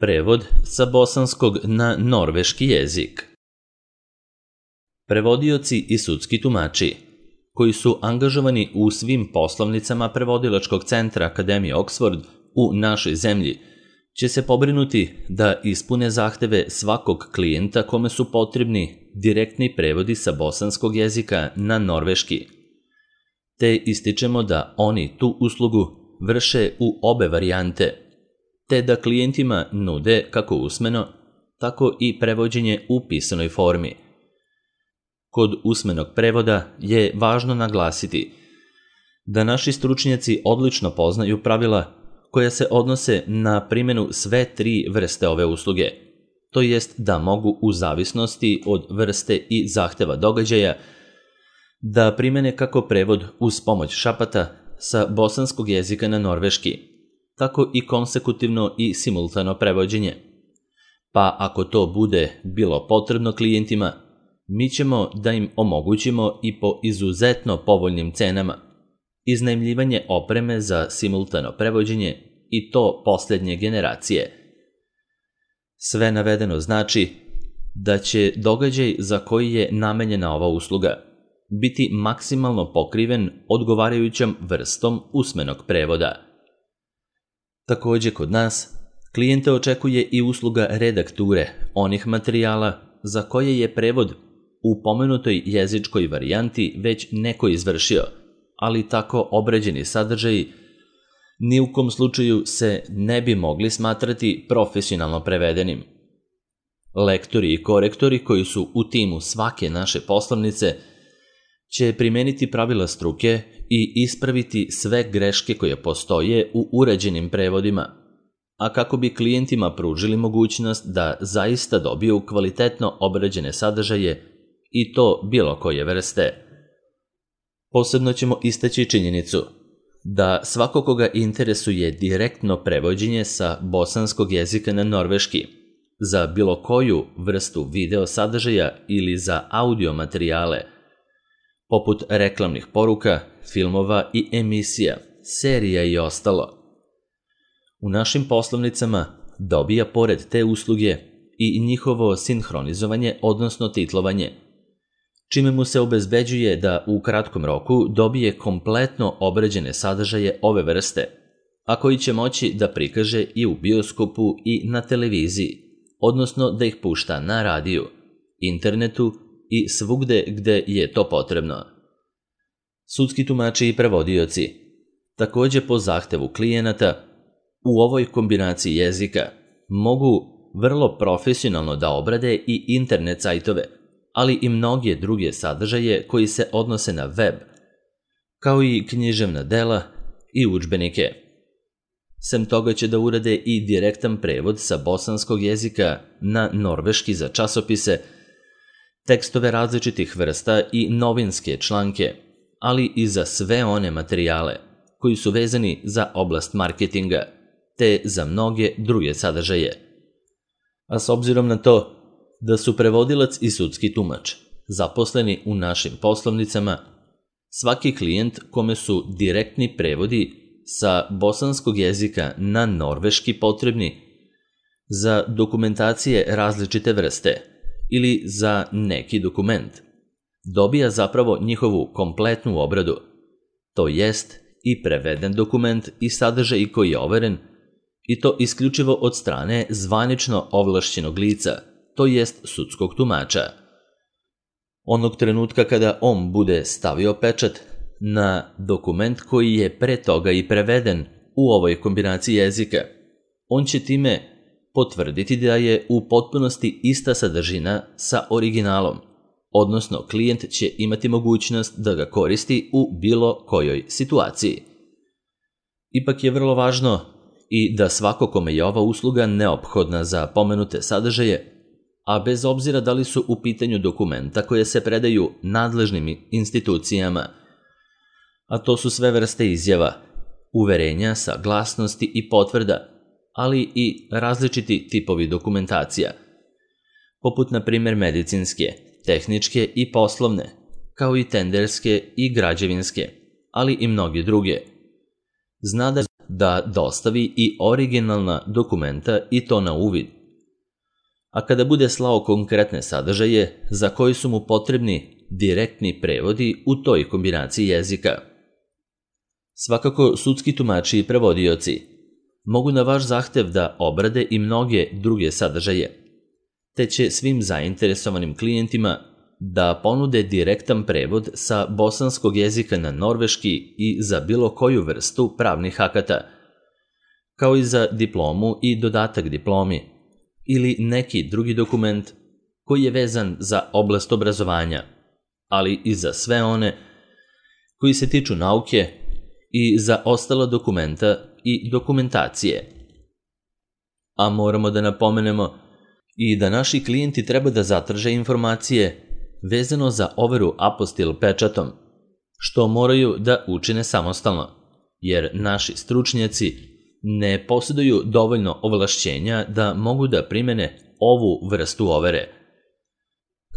Prevod sa bosanskog na norveški jezik. Prevodioci i sudski tumači, koji su angažovani u svim poslovnicama prevodilačkog centra Akademije Oxford u našoj zemlji, će se pobrinuti da ispune zahteve svakog klijenta kome su potrebni direktni prevodi sa bosanskog jezika na norveški, te ističemo da oni tu uslugu vrše u obe varijante, te da klijentima nude kako usmeno, tako i prevođenje u pisanoj formi. Kod usmenog prevoda je važno naglasiti da naši stručnjaci odlično poznaju pravila koja se odnose na primjenu sve tri vrste ove usluge, to jest da mogu u zavisnosti od vrste i zahteva događaja da primjene kako prevod uz pomoć šapata sa bosanskog jezika na norveški, tako i konsekutivno i simultano prevođenje. Pa ako to bude bilo potrebno klijentima, mi ćemo da im omogućimo i po izuzetno povoljnim cenama iznajmljivanje opreme za simultano prevođenje i to posljednje generacije. Sve navedeno znači da će događaj za koji je namenjena ova usluga biti maksimalno pokriven odgovarajućom vrstom usmenog prevoda. Također kod nas, klijente očekuje i usluga redakture onih materijala za koje je prevod u pomenutoj jezičkoj varijanti već neko izvršio, ali tako obrađeni sadržaji ni u kom slučaju se ne bi mogli smatrati profesionalno prevedenim. Lektori i korektori koji su u timu svake naše poslovnice će primeniti pravila struke i ispraviti sve greške koje postoje u urađenim prevodima, a kako bi klijentima pružili mogućnost da zaista dobiju kvalitetno obrađene sadržaje i to bilo koje vrste. Posebno ćemo istaći činjenicu da svako koga interesuje direktno prevođenje sa bosanskog jezika na norveški za bilo koju vrstu video sadržaja ili za audio materijale, poput reklamnih poruka, filmova i emisija, serija i ostalo, u našim poslovnicama dobija pored te usluge i njihovo sinhronizovanje, odnosno titlovanje, čime mu se obezbeđuje da u kratkom roku dobije kompletno obrađene sadržaje ove vrste, a koji će moći da prikaže i u bioskopu i na televiziji, odnosno da ih pušta na radiju, internetu i svugde gde je to potrebno. Sudski tumači i prevodioci, također po zahtevu klijenata, u ovoj kombinaciji jezika mogu vrlo profesionalno da obrade i internet sajtove, ali i mnoge druge sadržaje koji se odnose na web, kao i književna dela i udžbenike. Sem toga će da urade i direktan prevod sa bosanskog jezika na norveški za časopise, tekstove različitih vrsta i novinske članke, ali i za sve one materijale koji su vezani za oblast marketinga, te za mnoge druge sadržaje. A s obzirom na to da su prevodilac i sudski tumač zaposleni u našim poslovnicama, svaki klijent kome su direktni prevodi sa bosanskog jezika na norveški potrebni za dokumentacije različite vrste ili za neki dokument, dobija zapravo njihovu kompletnu obradu, to jest i preveden dokument i sadržaj koji je overen, i to isključivo od strane zvanično ovlašćenog lica, to jest sudskog tumača. Onog trenutka kada on bude stavio pečat na dokument koji je pre toga i preveden u ovoj kombinaciji jezika, on će time potvrditi da je u potpunosti ista sadržina sa originalom, odnosno klijent će imati mogućnost da ga koristi u bilo kojoj situaciji. Ipak je vrlo važno i da svako kome je ova usluga neophodna za pomenute sadržaje, a bez obzira da li su u pitanju dokumenta koje se predaju nadležnim institucijama, a to su sve vrste izjava, uverenja, saglasnosti i potvrda, ali i različiti tipovi dokumentacija, poput na primjer medicinske, tehničke i poslovne, kao i tenderske i građevinske, ali i mnoge druge. Zna da da dostavi i originalna dokumenta i to na uvid. A kada bude slao konkretne sadržaje za koji su mu potrebni direktni prevodi u toj kombinaciji jezika. Svakako, sudski tumači i prevodioci mogu na vaš zahtev da obrade i mnoge druge sadržaje, te će svim zainteresovanim klijentima da ponude direktan prevod sa bosanskog jezika na norveški i za bilo koju vrstu pravnih akata, kao i za diplomu i dodatak diplomi, ili neki drugi dokument koji je vezan za oblast obrazovanja, ali i za sve one koji se tiču nauke i za ostala dokumenta i dokumentacije. A moramo da napomenemo i da naši klijenti treba da zatraže informacije vezano za overu apostil pečatom, što moraju da učine samostalno, jer naši stručnjaci ne posjeduju dovoljno ovlašćenja da mogu da primene ovu vrstu overe.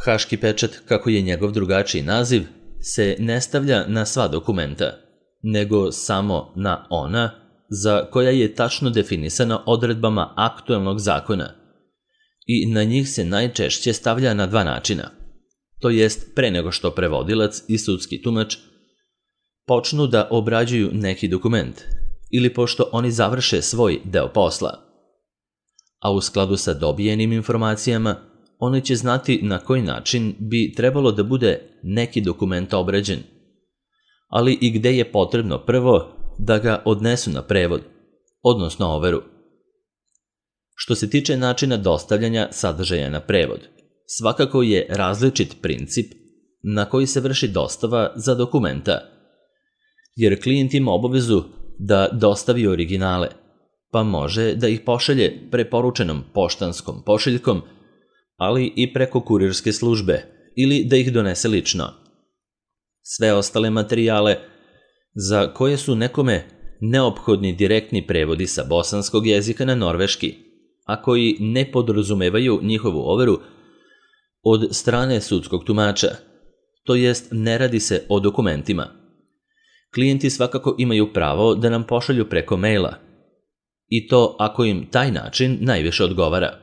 Haški pečat, kako je njegov drugačiji naziv, se ne stavlja na sva dokumenta, nego samo na ona za koja je tačno definisana odredbama aktuelnog zakona i na njih se najčešće stavlja na dva načina, to jest pre nego što prevodilac i sudski tumač počnu da obrađuju neki dokument ili pošto oni završe svoj deo posla. A u skladu sa dobijenim informacijama, oni će znati na koji način bi trebalo da bude neki dokument obrađen, ali i gde je potrebno prvo da ga odnesu na prevod, odnosno overu. Što se tiče načina dostavljanja sadržaja na prevod, svakako je različit princip na koji se vrši dostava za dokumenta, jer klijent ima obavezu da dostavi originale, pa može da ih pošalje preporučenom poštanskom pošiljkom, ali i preko kurirske službe ili da ih donese lično. Sve ostale materijale za koje su nekome neophodni direktni prevodi sa bosanskog jezika na norveški, a koji ne podrazumevaju njihovu overu od strane sudskog tumača, to jest ne radi se o dokumentima. Klijenti svakako imaju pravo da nam pošalju preko maila, i to ako im taj način najviše odgovara.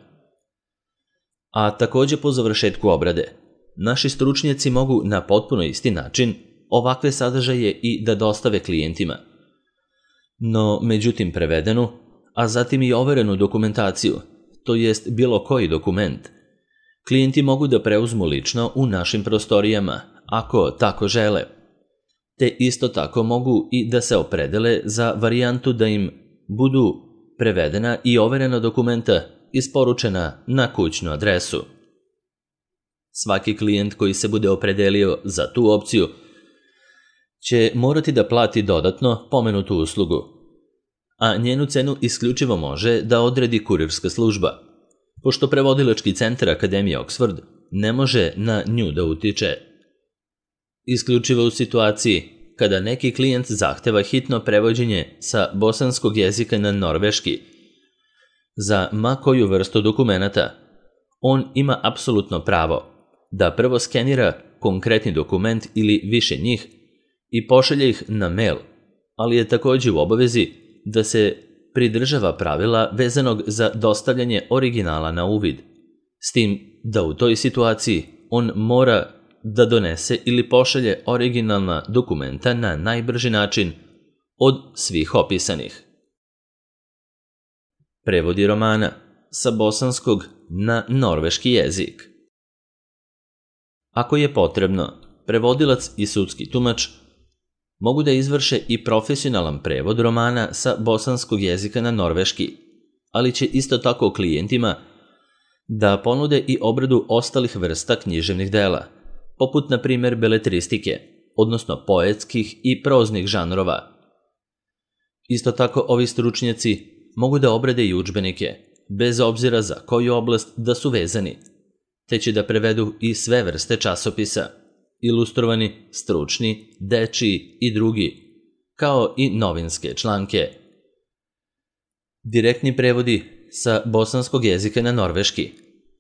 A takođe po završetku obrade, naši stručnjaci mogu na potpuno isti način ovakve sadržaje i da dostave klijentima. No, međutim prevedenu, a zatim i overenu dokumentaciju, to jest bilo koji dokument, klijenti mogu da preuzmu lično u našim prostorijama, ako tako žele, te isto tako mogu i da se opredele za varijantu da im budu prevedena i overena dokumenta isporučena na kućnu adresu. Svaki klijent koji se bude opredelio za tu opciju će morati da plati dodatno pomenutu uslugu, a njenu cenu isključivo može da odredi kurirska služba, pošto prevodilački centar Akademije Oxford ne može na nju da utiče. Isključivo u situaciji kada neki klijent zahteva hitno prevođenje sa bosanskog jezika na norveški za ma koju vrstu dokumenata, on ima apsolutno pravo da prvo skenira konkretni dokument ili više njih i pošalje ih na mail, ali je takođe u obavezi da se pridržava pravila vezanog za dostavljanje originala na uvid, s tim da u toj situaciji on mora da donese ili pošalje originalna dokumenta na najbrži način od svih opisanih. Prevodi romana sa bosanskog na norveški jezik. Ako je potrebno, prevodilac i sudski tumač mogu da izvrše i profesionalan prevod romana sa bosanskog jezika na norveški, ali će isto tako klijentima da ponude i obradu ostalih vrsta književnih dela, poput na primjer beletristike, odnosno poetskih i proznih žanrova. Isto tako ovi stručnjaci mogu da obrade i udžbenike, bez obzira za koju oblast da su vezani, te će da prevedu i sve vrste časopisa, ilustrovani, stručni, dečiji i drugi, kao i novinske članke. Direktni prevodi sa bosanskog jezika na norveški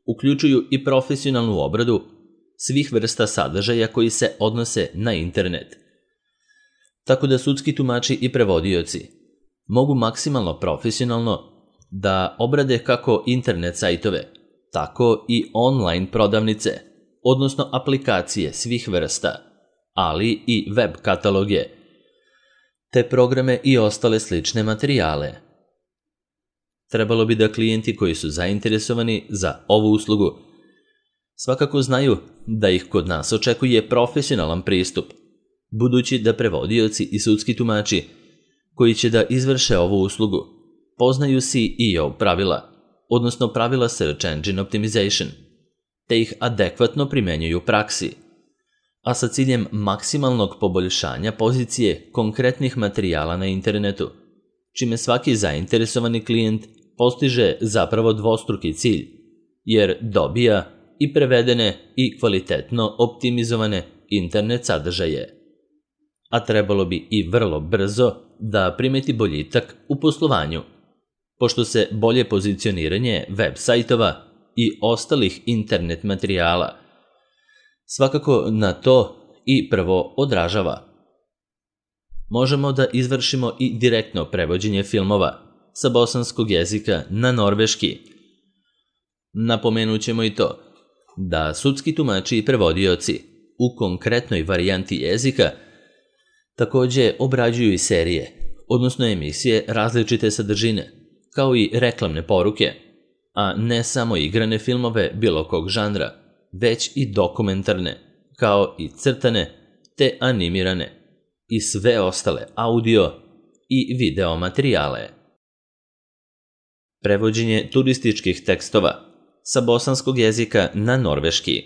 uključuju i profesionalnu obradu svih vrsta sadržaja koji se odnose na internet. Tako da sudski tumači i prevodioci mogu maksimalno profesionalno da obrade kako internet sajtove, tako i online prodavnice, odnosno aplikacije svih vrsta, ali i web kataloge, te programe i ostale slične materijale. Trebalo bi da klijenti koji su zainteresovani za ovu uslugu svakako znaju da ih kod nas očekuje profesionalan pristup, budući da prevodioci i sudski tumači koji će da izvrše ovu uslugu poznaju SEO pravila, odnosno pravila Search Engine Optimization, te ih adekvatno primenjuju u praksi, a sa ciljem maksimalnog poboljšanja pozicije konkretnih materijala na internetu, čime svaki zainteresovani klijent postiže zapravo dvostruki cilj, jer dobija i prevedene i kvalitetno optimizovane internet sadržaje. A trebalo bi i vrlo brzo da primeti boljitak u poslovanju, pošto se bolje pozicioniranje web sajtova i ostalih internet materijala svakako na to i prvo odražava. Možemo da izvršimo i direktno prevođenje filmova sa bosanskog jezika na norveški. Napomenut ćemo i to da sudski tumači i prevodioci u konkretnoj varijanti jezika takođe obrađuju i serije, odnosno emisije različite sadržine, kao i reklamne poruke, a ne samo igrane filmove bilo kog žanra, već i dokumentarne, kao i crtane te animirane i sve ostale audio i video materijale. Prevođenje turističkih tekstova sa bosanskog jezika na norveški.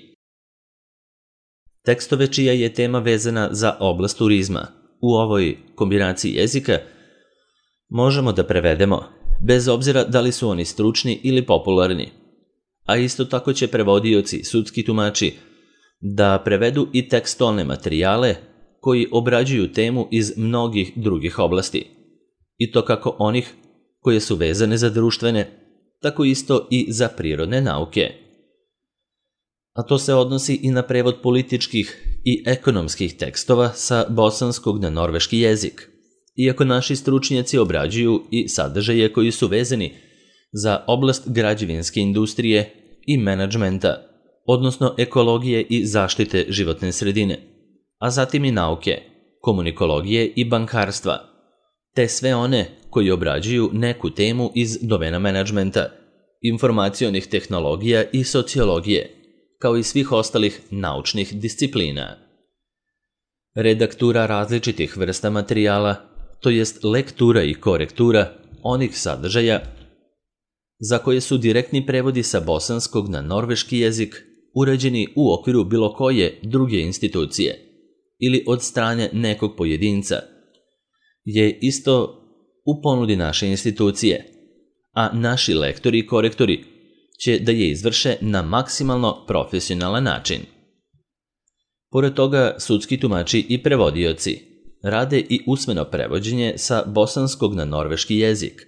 Tekstove čija je tema vezana za oblast turizma u ovoj kombinaciji jezika možemo da prevedemo, bez obzira da li su oni stručni ili popularni, a isto tako će prevodioci, sudski tumači, da prevedu i tekstualne materijale koji obrađuju temu iz mnogih drugih oblasti, i to kako onih koje su vezane za društvene, tako isto i za prirodne nauke. A to se odnosi i na prevod političkih i ekonomskih tekstova sa bosanskog na norveški jezik, iako naši stručnjaci obrađuju i sadržaje koji su vezani za oblast građevinske industrije i menadžmenta, odnosno ekologije i zaštite životne sredine, a zatim i nauke, komunikologije i bankarstva, te sve one koji obrađuju neku temu iz domena menadžmenta, informacionih tehnologija i sociologije, kao i svih ostalih naučnih disciplina. Redaktura različitih vrsta materijala, to jest lektura i korektura onih sadržaja za koje su direktni prevodi sa bosanskog na norveški jezik urađeni u okviru bilo koje druge institucije ili od strane nekog pojedinca, je isto u ponudi naše institucije, a naši lektori i korektori će da je izvrše na maksimalno profesionalan način. Pored toga, sudski tumači i prevodioci rade i usmeno prevođenje sa bosanskog na norveški jezik,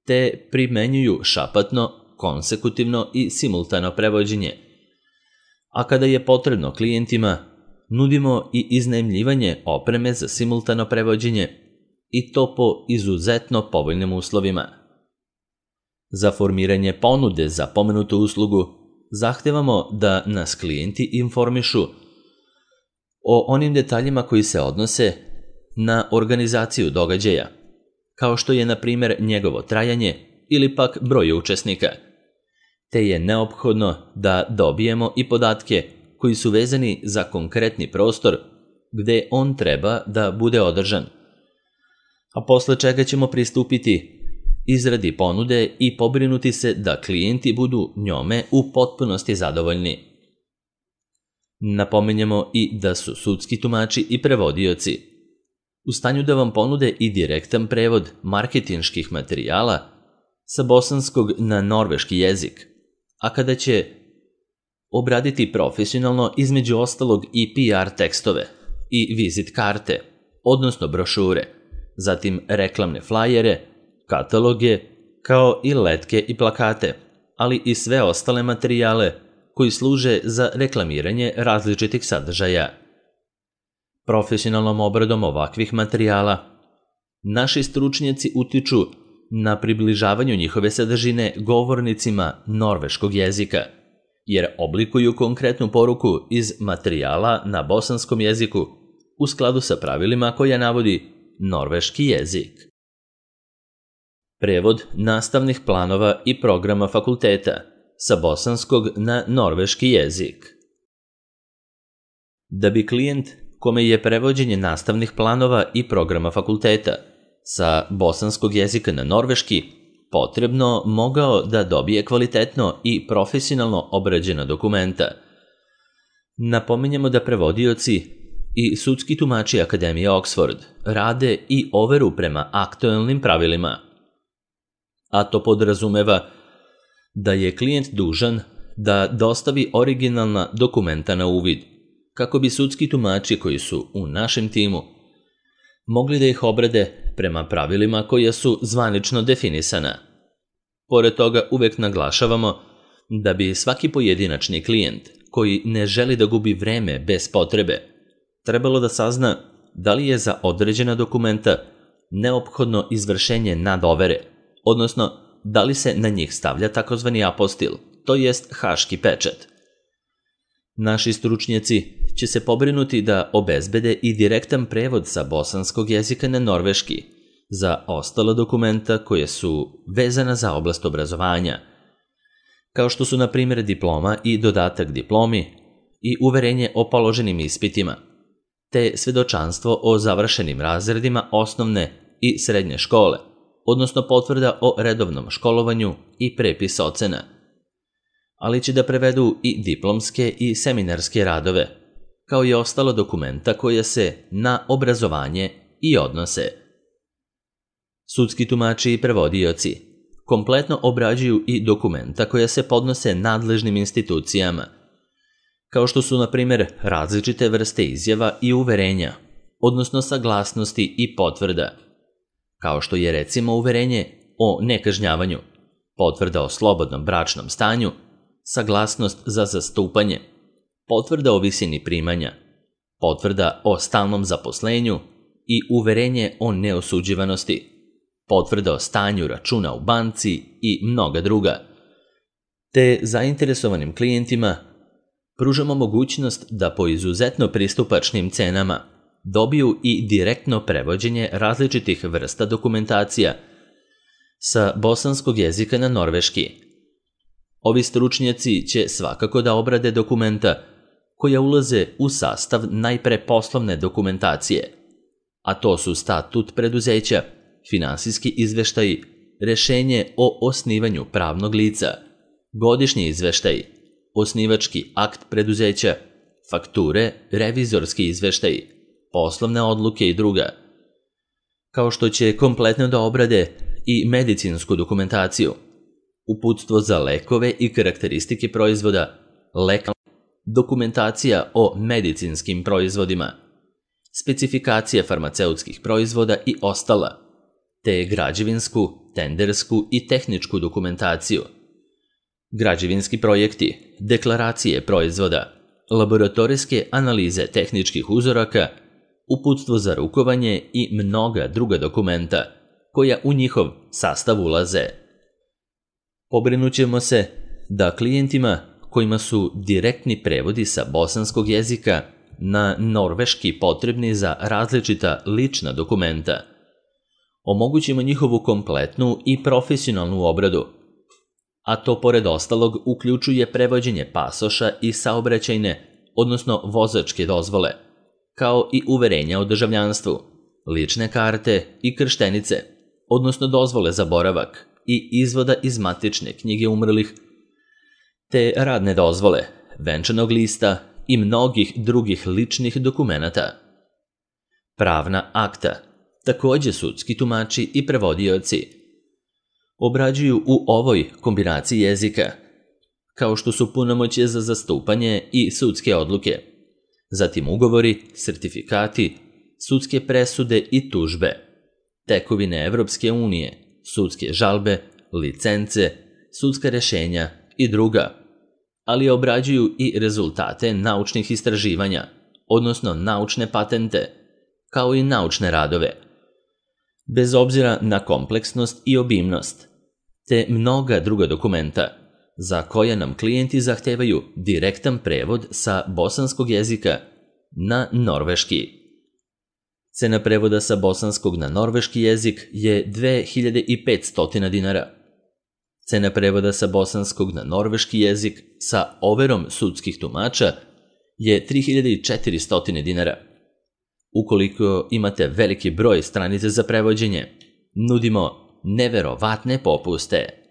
te primenjuju šapatno, konsekutivno i simultano prevođenje. A kada je potrebno klijentima, nudimo i iznajmljivanje opreme za simultano prevođenje, i to po izuzetno povoljnim uslovima. Za formiranje ponude za pomenutu uslugu zahtevamo da nas klijenti informišu o onim detaljima koji se odnose na organizaciju događaja, kao što je, na primjer, njegovo trajanje ili pak broj učesnika, te je neophodno da dobijemo i podatke koji su vezani za konkretni prostor gde on treba da bude održan, a posle čega ćemo pristupiti izradi ponude i pobrinuti se da klijenti budu njome u potpunosti zadovoljni. Napominjemo i da su sudski tumači i prevodioci u stanju da vam ponude i direktan prevod marketinških materijala sa bosanskog na norveški jezik, a kada će obraditi profesionalno između ostalog i PR tekstove i vizit karte, odnosno brošure, zatim reklamne flajere, kataloge, kao i letke i plakate, ali i sve ostale materijale koji služe za reklamiranje različitih sadržaja. Profesionalnom obradom ovakvih materijala naši stručnjaci utiču na približavanju njihove sadržine govornicima norveškog jezika, jer oblikuju konkretnu poruku iz materijala na bosanskom jeziku u skladu sa pravilima koja navodi norveški jezik. Prevod nastavnih planova i programa fakulteta sa bosanskog na norveški jezik. Da bi klijent kome je prevođenje nastavnih planova i programa fakulteta sa bosanskog jezika na norveški potrebno mogao da dobije kvalitetno i profesionalno obrađena dokumenta. Napominjemo da prevodioci i sudski tumači Akademije Oxford rade i overu prema aktuelnim pravilima, a to podrazumeva da je klijent dužan da dostavi originalna dokumenta na uvid, kako bi sudski tumači koji su u našem timu mogli da ih obrade prema pravilima koja su zvanično definisana. Pored toga uvek naglašavamo da bi svaki pojedinačni klijent koji ne želi da gubi vreme bez potrebe trebalo da sazna da li je za određena dokumenta neophodno izvršenje nadovere, odnosno da li se na njih stavlja takozvani apostil, to jest haški pečat. Naši stručnjaci će se pobrinuti da obezbede i direktan prevod sa bosanskog jezika na norveški za ostala dokumenta koje su vezana za oblast obrazovanja, kao što su na primjer diploma i dodatak diplomi i uverenje o položenim ispitima, te svedočanstvo o završenim razredima osnovne i srednje škole, odnosno potvrda o redovnom školovanju i prepis ocena, ali će da prevedu i diplomske i seminarske radove, kao i ostala dokumenta koja se na obrazovanje i odnose. Sudski tumači i prevodioci kompletno obrađuju i dokumenta koja se podnose nadležnim institucijama, kao što su, na primjer, različite vrste izjava i uverenja, odnosno saglasnosti i potvrda, kao što je recimo uverenje o nekažnjavanju, potvrda o slobodnom bračnom stanju, saglasnost za zastupanje, potvrda o visini primanja, potvrda o stalnom zaposlenju i uverenje o neosuđivanosti, potvrda o stanju računa u banci i mnoga druga. Te zainteresovanim klijentima pružamo mogućnost da po izuzetno pristupačnim cenama dobiju i direktno prevođenje različitih vrsta dokumentacija sa bosanskog jezika na norveški. Ovi stručnjaci će svakako da obrade dokumenta koja ulaze u sastav najpre poslovne dokumentacije, a to su statut preduzeća, finansijski izveštaji, rešenje o osnivanju pravnog lica, godišnji izveštaji, osnivački akt preduzeća, fakture, revizorski izveštaji, poslovne odluke i druga, kao što će kompletno da obrade i medicinsku dokumentaciju, uputstvo za lekove i karakteristike proizvoda, dokumentacija o medicinskim proizvodima, specifikacija farmaceutskih proizvoda i ostala, te građevinsku, tendersku i tehničku dokumentaciju, građevinski projekti, deklaracije proizvoda, laboratorijske analize tehničkih uzoraka, uputstvo za rukovanje i mnoga druga dokumenta koja u njihov sastav ulaze. Pobrinućemo se da klijentima kojima su direktni prevodi sa bosanskog jezika na norveški potrebni za različita lična dokumenta omogućimo njihovu kompletnu i profesionalnu obradu, a to pored ostalog uključuje prevođenje pasoša i saobraćajne, odnosno vozačke dozvole, kao i uverenja o državljanstvu, lične karte i krštenice, odnosno dozvole za boravak i izvoda iz matične knjige umrlih, te radne dozvole, venčanog lista i mnogih drugih ličnih dokumenata. Pravna akta, takođe sudski tumači i prevodioci obrađuju u ovoj kombinaciji jezika, kao što su punomoćje za zastupanje i sudske odluke, zatim ugovori, sertifikati, sudske presude i tužbe, tekovine Evropske unije, sudske žalbe, licence, sudska rešenja i druga, ali obrađuju i rezultate naučnih istraživanja, odnosno naučne patente, kao i naučne radove, Bez obzira na kompleksnost i obimnost, te mnoga druga dokumenta za koja nam klijenti zahtevaju direktan prevod sa bosanskog jezika na norveški. Cena prevoda sa bosanskog na norveški jezik je 2500 dinara. Cena prevoda sa bosanskog na norveški jezik sa overom sudskih tumača je 3400 dinara. Ukoliko imate veliki broj stranica za prevođenje, nudimo neverovatne popuste.